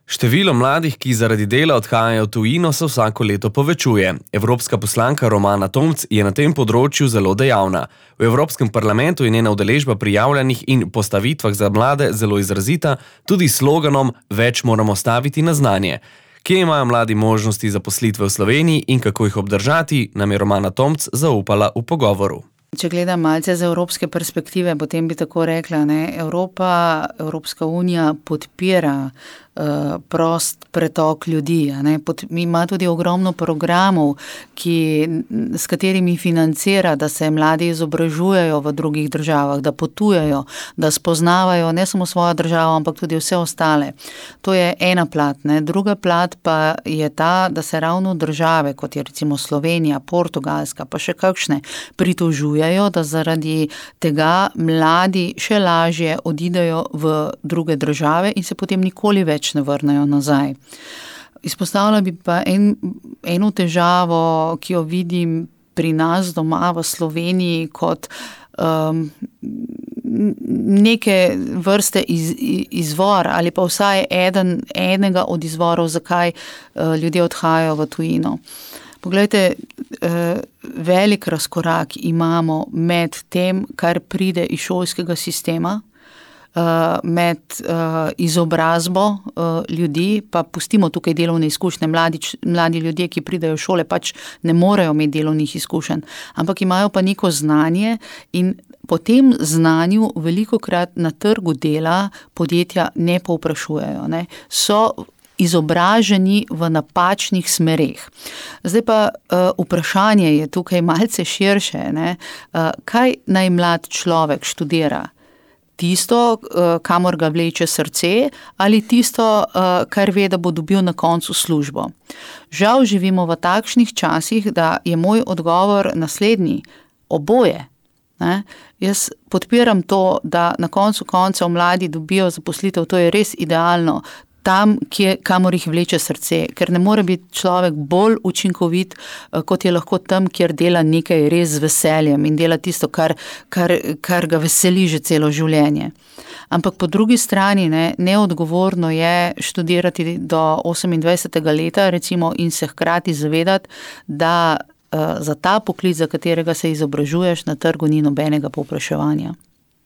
Število mladih, ki zaradi dela odhajajo v tujino, se vsako leto povečuje. Evropska poslanka Romana Tomc je na tem področju zelo dejavna. V Evropskem parlamentu je njena udeležba pri javljanjih in postavitvah za mlade zelo izrazita, tudi s sloganom Več moramo staviti na znanje. Kje imajo mladi možnosti zaposlitve v Sloveniji in kako jih obdržati, nam je Romana Tomc zaupala v pogovoru. Če gledam malce z evropske perspektive, potem bi tako rekla, Evropska unija podpira prost pretok ljudi. Ima tudi ogromno programov, s katerimi financira, da se mladi izobražujejo v drugih državah, da potujejo, da spoznavajo ne samo svojo državo, ampak tudi vse ostale. To je ena plat. Druga plat pa je ta, da se ravno države, kot je recimo Slovenija, Portugalska, pa še kakšne, pritožujejo, da zaradi tega mladi še lažje odidejo v druge države in se potem nikoli več ne vrnejo nazaj. Izpostavila bi pa eno težavo, ki jo vidim pri nas doma v Sloveniji kot neke vrste izvor ali pa vsaj enega od izvorov, zakaj ljudje odhajajo v tujino. Poglejte, velik razkorak imamo med tem, kar pride iz šolskega sistema, med izobrazbo ljudi, pa pustimo tukaj delovne izkušnje. Mladi ljudje, ki pridejo v šole, pač ne morejo imeti delovnih izkušenj, ampak imajo pa neko znanje in po tem znanju velikokrat na trgu dela podjetja ne povprašujejo. So izobraženi v napačnih smereh. Zdaj pa vprašanje je tukaj malce širše. Kaj naj mlad človek študira? Tisto, kamor ga vleče srce, ali tisto, kar ve, da bo dobil na koncu službo. Žal živimo v takšnih časih, da je moj odgovor naslednji: oboje. Jaz podpiram to, da na koncu koncev mladi dobijo zaposlitev, to je res idealno, tam, kamor jih vleče srce, ker ne more biti človek bolj učinkovit, kot je lahko tam, kjer dela nekaj res z veseljem in dela tisto, kar ga veseli že celo življenje. Ampak po drugi strani neodgovorno je študirati do 28. leta recimo in se hkrati zavedati, da za ta poklic, za katerega se izobražuješ, na trgu ni nobenega povpraševanja.